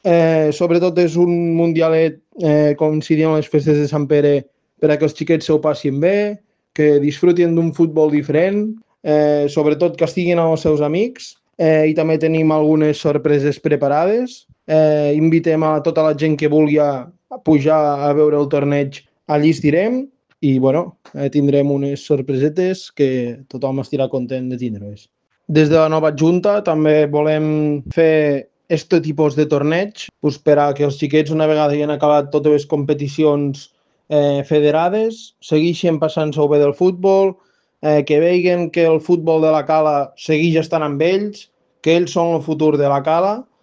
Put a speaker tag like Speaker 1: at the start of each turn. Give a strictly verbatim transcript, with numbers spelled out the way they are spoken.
Speaker 1: Eh, sobretot és un mundialet eh, coincidint amb les festes de Sant Pere per a que els xiquets s'ho passin bé, que disfrutin d'un futbol diferent, eh, sobretot que estiguin amb els seus amics, eh, i també tenim algunes sorpreses preparades. Eh, invitem a tota la gent que vulgui a, a pujar a veure el torneig, allí estirem i bueno, eh, tindrem unes sorpresetes que tothom estirà content de tindre-les. Des de la nova junta també volem fer este tipus de torneig pues, per a que els xiquets, una vegada hagin acabat totes les competicions eh, federades, segueixin passant-se bé del futbol, eh, que vegin que el futbol de la cala segueix estant amb ells, que ells són el futur de la cala